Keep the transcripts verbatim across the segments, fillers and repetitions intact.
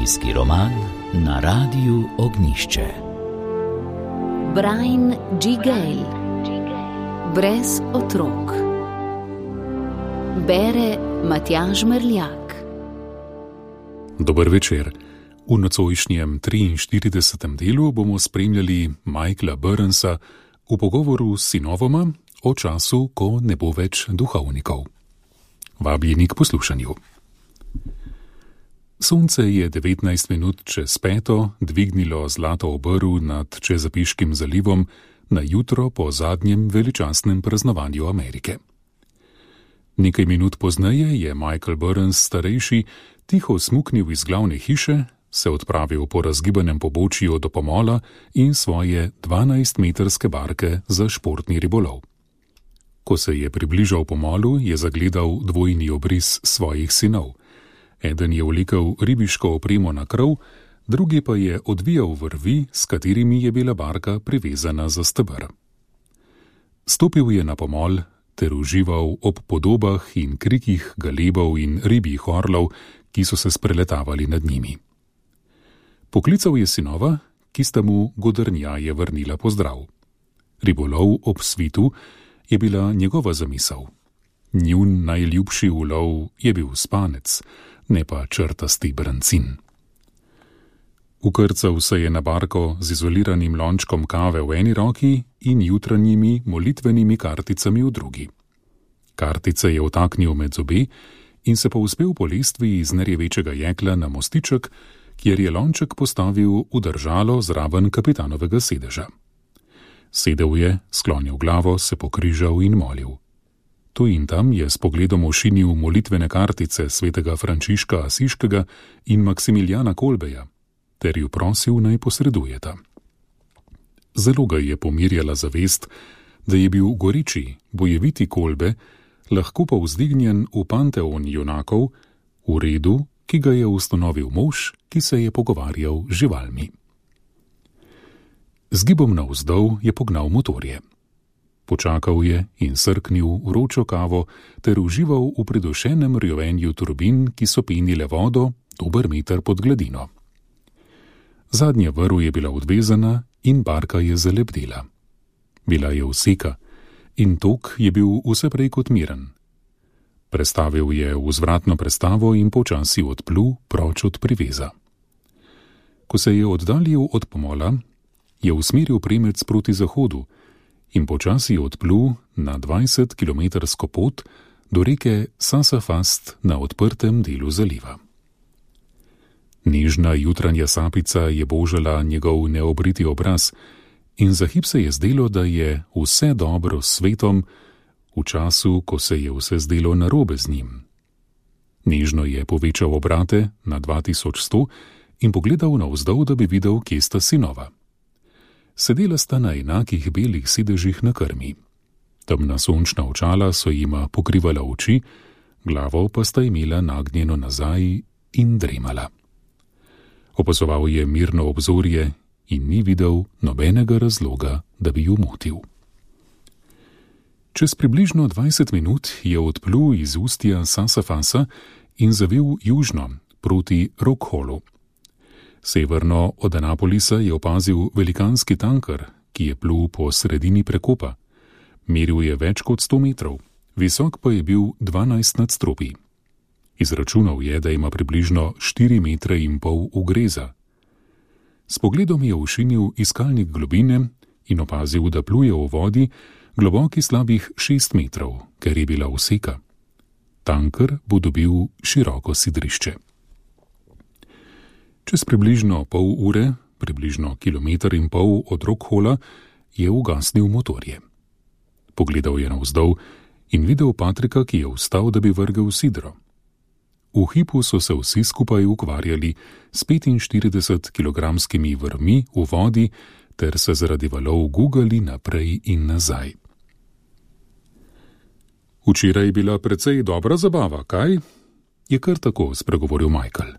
Družinski roman na Radiu Ognjišče. Brian G. Gale. Brez otrok. Bere Matjaž Merljak. Dober večer. V nocojšnjem triinštiridesetem delu bomo spremljali Michaela Burnsa v pogovoru s sinovoma o času, ko ne bo več duhovnikov. Vabljeni k poslušanju. Sonce je devetnajst minut čez peto dvignilo zlato obrv nad Chesapeakeovim zalivom na jutro po zadnjem veličastnem praznovanju Amerike. Nekaj minut pozneje je Michael Burns starejši tiho smuknil iz glavne hiše, se odpravil po razgibanem pobočju do pomola in svoje dvanajstmetrske barke za športni ribolov. Ko se je približal pomolu, je zagledal dvojni obris svojih sinov. Eden je vlekel ribiško opremo na krov, drugi pa je odvijal vrvi, s katerimi je bila barka privezana za steber. Stopil je na pomol ter užival ob podobah in krikih galebov in ribjih orlov, ki so se spreletavali nad njimi. Poklical je sinova, ki sta mu godrnjaje vrnila pozdrav. Ribolov ob svitu je bila njegova zamisel. Njun najljubši ulov je bil spanec, ne pa črtasti brancin. Ukrcal se je na barko z izoliranim lončkom kave v eni roki in jutranjimi molitvenimi karticami v drugi. Kartice je vtaknil med zobe in se povzpel po lestvi iz nerjavečega jekla na mostiček, kjer je lonček postavil v držalo zraven kapitanovega sedeža. Sedel je, sklonil glavo, se pokrižal in molil. Tu in tam je s pogledom ošinil molitvene kartice svetega Frančiška Asiškega in Maksimiljana Kolbeja, ter ju prosil, naj posredujeta. Zelo ga je pomirjala zavest, da je bil goriči, bojeviti Kolbe lahko povzdignjen v panteon junakov, v redu, ki ga je ustanovil mož, ki se je pogovarjal z živalmi. Z gibom navzdol je pognal motorje. Počakal je in srknil vročo kavo ter užival v pridušenem rjovenju turbin, ki so penile vodo dober meter pod gladino. Zadnja vrv je bila odvezana in barka je zalepdela. Bila je vseka in tok je bil vse prej kot miren. Prestavil je vzvratno prestavo in počasi odplul proč od priveza. Ko se je oddaljil od pomola, je usmeril premec proti zahodu in počasi odplul na dvajsetkilometrsko pot do reke Sassafras na odprtem delu zaliva. Nežna jutranja sapica je božala njegov neobriti obraz in za hip se je zdelo, da je vse dobro s svetom, v času, ko se je vse zdelo narobe z njim. Nežno je povečal obrate na dva tisoč sto in pogledal navzdol, da bi videl, kje sta sinova. Sedela sta na enakih belih sedežih na krmi. Temna sončna očala so jima pokrivala oči, glavo pa sta imela nagnjeno nazaj in dremala. Opazoval je mirno obzorje in ni videl nobenega razloga, da bi ju motil. Čez približno dvajset minut je odplul iz ustja Sassafrasa in zavil južno proti Rockhallu. Severno od Anapolisa je opazil velikanski tanker, ki je plul po sredini prekopa. Meril je več kot sto metrov, visok pa je bil dvanajst nadstropij. Izračunal je, da ima približno štiri metre in pol ugreza. S pogledom je ošinil iskalnik globine in opazil, da pluje v vodi, globoki slabih šest metrov, ker je bila vseka. Tanker bo dobil široko sidrišče. Čez približno pol ure, približno kilometer in pol od Rockhalla, je ugasnil motorje. Pogledal je navzdol in videl Patrika, ki je vstal, da bi vrgel sidro. V hipu so se vsi skupaj ukvarjali s petinštiridesetkilogramskimi vrvmi v vodi ter se zaradi valov gugali naprej in nazaj. Včeraj je bila precej dobra zabava, kaj? Je kar tako spregovoril Michael.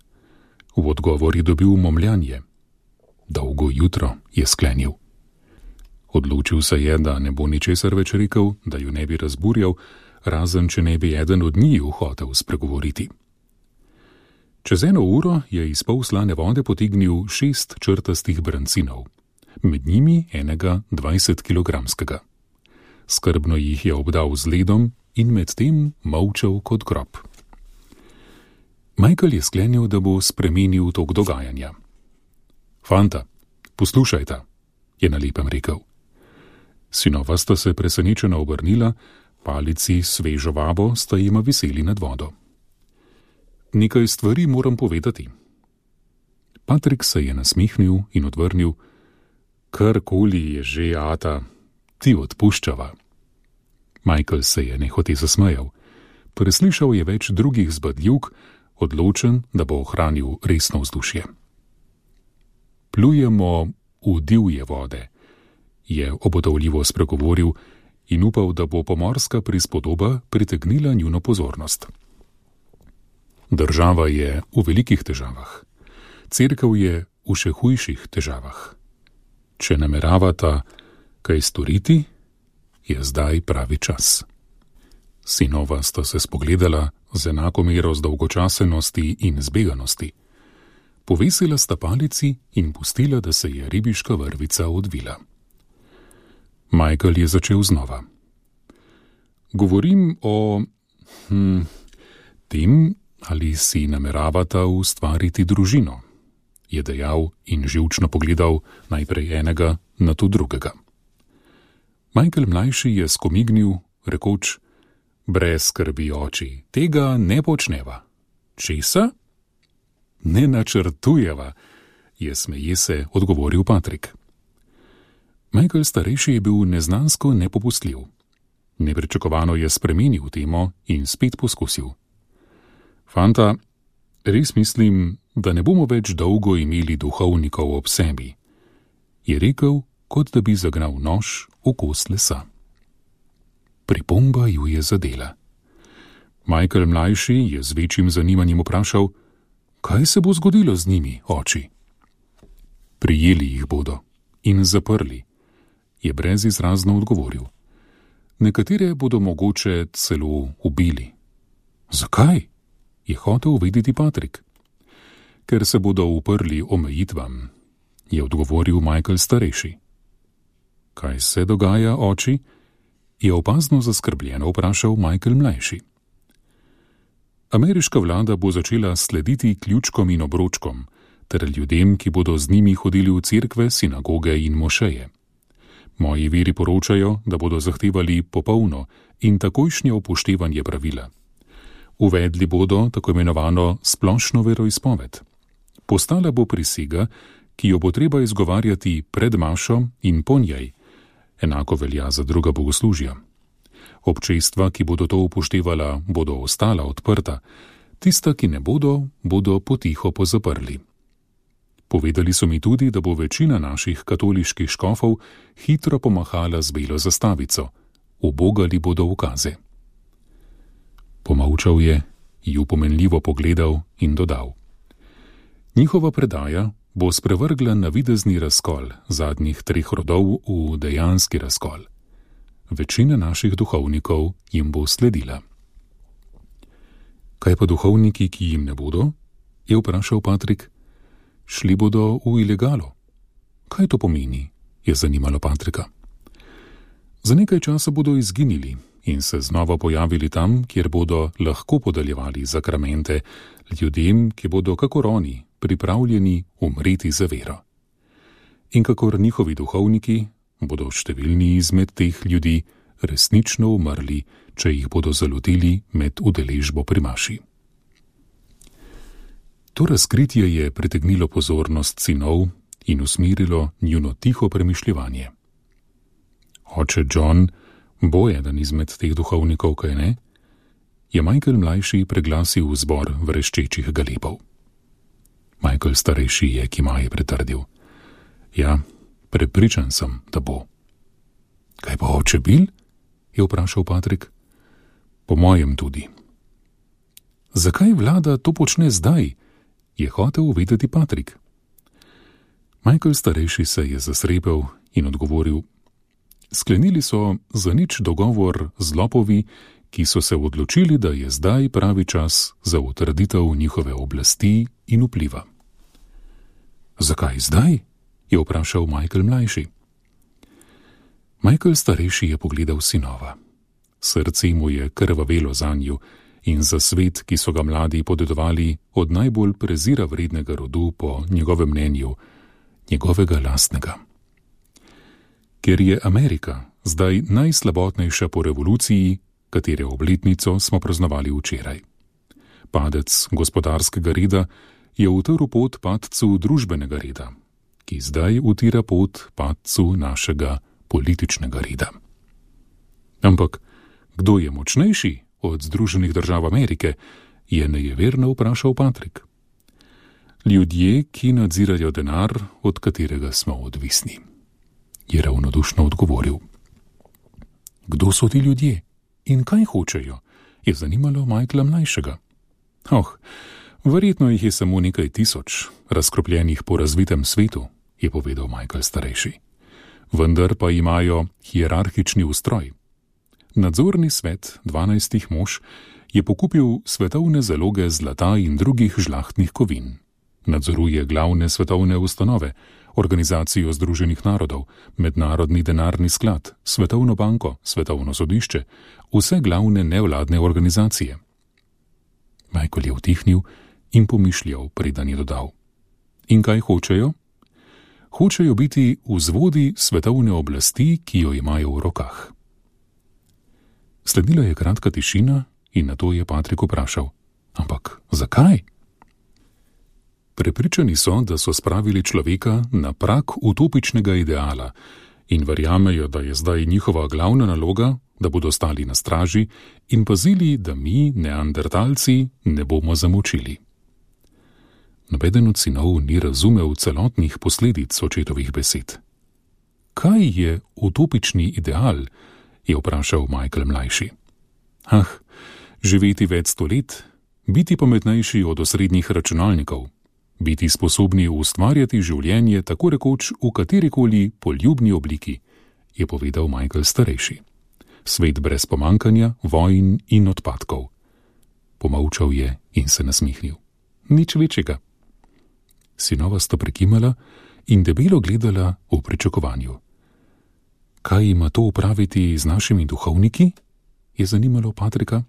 V odgovor je dobil momljanje. Dolgo jutro, je sklenil. Odločil se je, da ne bo ničesar več rekel, da ju ne bi razburjal, razen če ne bi eden od njiju hotel spregovoriti. Čez eno uro je iz pol slane vode potegnil šest črtastih brancinov, med njimi enega dvajsetkilogramskega. Skrbno jih je obdal z ledom in medtem molčal kot grob. Michael je sklenil, da bo spremenil tok dogajanja. Fanta, poslušajta, je na lepem rekel. Sinova sta se presenečeno obrnila, palici svežo vabo sta jima viseli nad vodo. Nekaj stvari moram povedati. Patrik se je nasmihnil in odvrnil, karkoli je že, ata, ti odpuščava. Michael se je nehote zasmejal. Preslišal je več drugih zbadljivk, odločen, da bo ohranil resno vzdušje. Plujemo v divje vode, je obotavljivo spregovoril in upal, da bo pomorska prispodoba pritegnila njuno pozornost. Država je v velikih težavah. Cerkev je v še hujših težavah. Če nameravata kaj storiti, je zdaj pravi čas. Sinova sta se spogledala z enako mero zdolgočasenosti in zbeganosti. Povesila sta palici in pustila, da se je ribiška vrvica odvila. Michael je začel znova. Govorim o hm, tem, ali si nameravata ustvariti družino, je dejal in živčno pogledal najprej enega, nato drugega. Michael mlajši je skomignil, rekoč, brez skrbi, oči, tega ne počneva. Česa? Ne načrtujeva, je smeje se odgovoril Patrik. Michael starejši je bil neznansko nepopustljiv. Nepričakovano je spremenil temo in spet poskusil. Fanta, res mislim, da ne bomo več dolgo imeli duhovnikov ob sebi, je rekel, kot da bi zagnal nož v kost lesa. Pripomba ju je zadela. Michael mlajši je z večjim zanimanjem vprašal, kaj se bo zgodilo z njimi, oči? Prijeli jih bodo in zaprli, je brezizrazno odgovoril. Nekatere bodo mogoče celo ubili. Zakaj? Je hotel vedeti Patrik. Ker se bodo uprli omejitvam, je odgovoril Michael starejši. Kaj se dogaja, oči? Je opazno zaskrbljeno vprašal Michael mlajši. Ameriška vlada bo začela slediti ključkom in obročkom, ter ljudem, ki bodo z njimi hodili v cerkve, sinagoge in mošeje. Moji viri poročajo, da bodo zahtevali popolno in takojšnje upoštevanje pravila. Uvedli bodo tako imenovano splošno veroizpoved. Postala bo prisega, ki jo bo treba izgovarjati pred mašo in po njej. Enako velja za druga bogoslužja. Občestva, ki bodo to upoštevala, bodo ostala odprta, tista, ki ne bodo, bodo potiho pozaprli. Povedali so mi tudi, da bo večina naših katoliških škofov hitro pomahala z belo zastavico. Ubogali bodo ukaze. Pomolčal je, ju pomenljivo pogledal in dodal. Njihova predaja bo sprevrgla navidezni razkol zadnjih treh rodov v dejanski razkol. Večina naših duhovnikov jim bo sledila. Kaj pa duhovniki, ki jim ne bodo? Je vprašal Patrik. Šli bodo v ilegalo. Kaj to pomeni? Je zanimalo Patrika. Za nekaj časa bodo izginili in se znova pojavili tam, kjer bodo lahko podeljevali zakramente ljudem, ki bodo kakor oni pripravljeni umreti za vero. In kakor njihovi duhovniki bodo številni izmed teh ljudi resnično umrli, če jih bodo zalotili med udeležbo pri maši. To razkritje je pritegnilo pozornost sinov in usmerilo njuno tiho premišljevanje. Oče John bo eden izmed teh duhovnikov, kaj ne? Je Michael mlajši preglasil zbor vreščečih galebov. Michael starejši je kimaje pritrdil. Ja, prepričan sem, da bo. Kaj pa oče Bill? Je vprašal Patrik. Po mojem tudi. Zakaj vlada to počne zdaj? Je hotel vedeti Patrik. Michael starejši se je zasrepel in odgovoril. Sklenili so za nič dogovor z lopovi, ki so se odločili, da je zdaj pravi čas za utrditev njihove oblasti in vpliva. Zakaj zdaj? Je vprašal Michael mlajši. Michael starejši je pogledal sinova. Srce mu je krvavelo zanju in za svet, ki so ga mladi podedovali od najbolj prezira vrednega rodu po njegovem mnenju, njegovega lastnega. Ker je Amerika zdaj najslabotnejša po revoluciji, katere obletnico smo praznovali včeraj. Padec gospodarskega reda je utrl pot padcu družbenega reda, ki zdaj utira pot padcu našega političnega reda. Ampak kdo je močnejši od Združenih držav Amerike, je nejeverno vprašal Patrik. Ljudje, ki nadzirajo denar, od katerega smo odvisni, je ravnodušno odgovoril. Kdo so ti ljudje in kaj hočejo, je zanimalo Michaela mlajšega. Oh, verjetno jih je samo nekaj tisoč, razkropljenih po razvitem svetu, je povedal Michael starejši. Vendar pa imajo hierarhični ustroj. Nadzorni svet dvanajstih mož je pokupil svetovne zaloge zlata in drugih žlahtnih kovin. Nadzoruje glavne svetovne ustanove, Organizacijo Združenih narodov, Mednarodni denarni sklad, Svetovno banko, Svetovno sodišče, vse glavne nevladne organizacije. Michael je utihnil in pomišljal, preden je dodal. In kaj hočejo? Hočejo biti vzvodi svetovne oblasti, ki jo imajo v rokah. Sledila je kratka tišina in nato je Patrik vprašal. Ampak zakaj? Prepričani so, da so spravili človeka na prag utopičnega ideala in verjamejo, da je zdaj njihova glavna naloga, da bodo stali na straži in pazili, da mi, neandertalci, ne bomo zamočili. Nobeden od sinov ni razumel celotnih posledic očetovih besed. Kaj je utopični ideal? Je vprašal Michael mlajši. Ah, živeti več sto let, biti pametnejši od osrednjih računalnikov, biti sposobni ustvarjati življenje tako rekoč v katerikoli poljubni obliki, je povedal Michael starejši. Svet brez pomankanja, vojn in odpadkov. Pomolčal je in se nasmihnil. Nič večjega. Sinova sta prekimala in debelo gledala v pričakovanju. Kaj ima to upraviti z našimi duhovniki? Je zanimalo Patrika.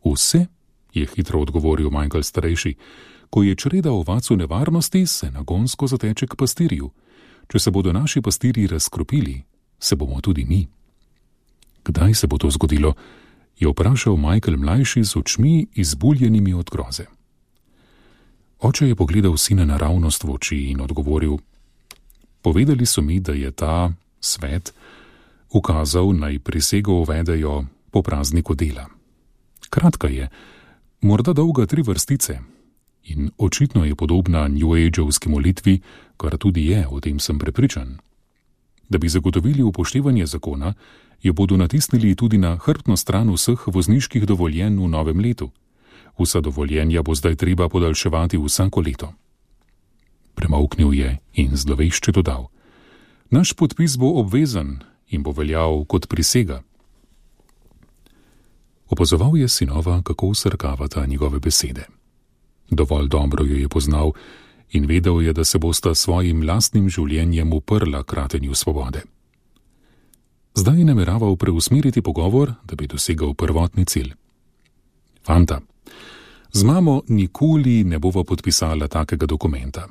Vse, je hitro odgovoril Michael starejši. Ko je čreda ovac v nevarnosti, se nagonsko zateče k pastirju. Če se bodo naši pastirji razkropili, se bomo tudi mi. Kdaj se bo to zgodilo? Je vprašal Michael mlajši z očmi izbuljenimi od groze. Oče je pogledal sina naravnost v oči in odgovoril. Povedali so mi, da je ta svet ukazal, naj prisego uvedejo po prazniku dela. Kratka je, morda dolga tri vrstice in očitno je podobna New Age-ovski molitvi, kar tudi je, o tem sem prepričan. Da bi zagotovili upoštevanje zakona, jo bodo natisnili tudi na hrbtno stran vseh vozniških dovoljenj v novem letu. Vsa dovoljenja bo zdaj treba podaljševati vsako leto. Premolknil je in zlovešče dodal. Naš podpis bo obvezen in bo veljal kot prisega. Opazoval je sinova, kako srkavata njegove besede. Dovolj dobro jo je poznal in vedel je, da se bosta svojim lastnim življenjem uprla kratenju svobode. Zdaj je nameraval preusmeriti pogovor, da bi dosegal prvotni cilj. Fanta, z mamo nikoli ne bova podpisala takega dokumenta.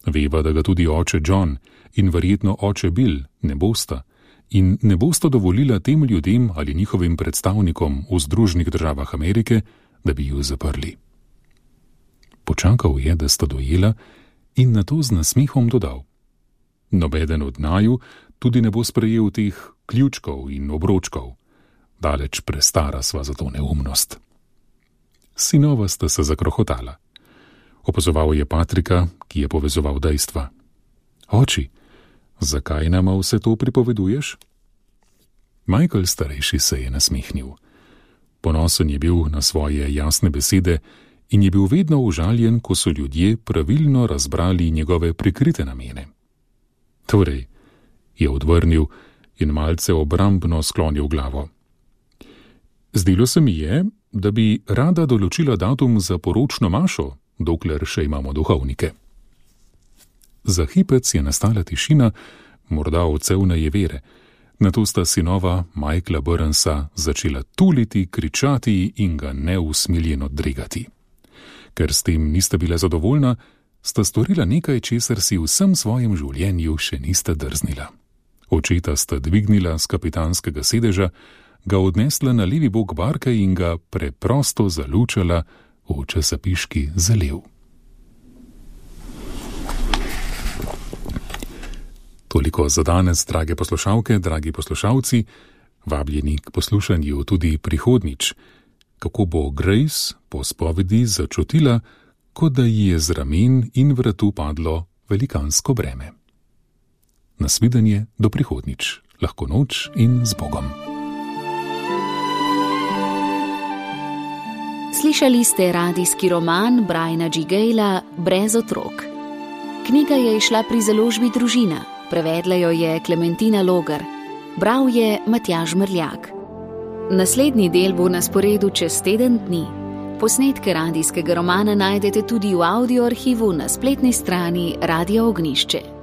Veva, da ga tudi oče John in verjetno oče Bill ne bosta in ne bosta dovolila tem ljudem ali njihovim predstavnikom v Združenih državah Amerike, da bi ju zaprli. Počakal je, da sta dojela in nato z nasmehom dodal. Nobeden od naju tudi ne bo sprejel teh ključkov in obročkov. Daleč prestara sva za to neumnost. Sinova sta se zakrohotala. Opazoval je Patrika, ki je povezoval dejstva. Oči, zakaj nama vse to pripoveduješ? Michael starejši se je nasmehnil. Ponosen je bil na svoje jasne besede in je bil vedno užaljen, ko so ljudje pravilno razbrali njegove prikrite namene. Torej, je odvrnil in malce obrambno sklonil glavo. Zdelo se mi je, da bi rada določila datum za poročno mašo, dokler še imamo duhovnike. Za hipec je nastala tišina, morda odsevne jevere. Nato sta sinova Michaela Burnsa začela tuliti, kričati in ga neusmiljeno dregati. Ker s tem nista bila zadovoljna, sta storila nekaj, česar si v vsem svojem življenju še nista drznila. Očeta sta dvignila z kapitanskega sedeža, ga odnesla na levi bok barke in ga preprosto zalučala v časapiški zaliv. Toliko za danes, drage poslušalke, dragi poslušalci, vabljeni k poslušanju tudi prihodnjič, kako bo Grace po spovedi začutila, kot da ji je z ramen in vratu padlo velikansko breme. Nasvidenje do prihodnjič, lahko noč in z Bogom. Slišali ste radijski roman Briana G. Gayla Brez otrok. Knjiga je izšla pri založbi Družina. Prevedla jo je Klementina Logar, bral je Matjaž Mrljak. Naslednji del bo na sporedu čez teden dni. Posnetke radijskega romana najdete tudi v audio arhivu na spletni strani Radia Ognjišče.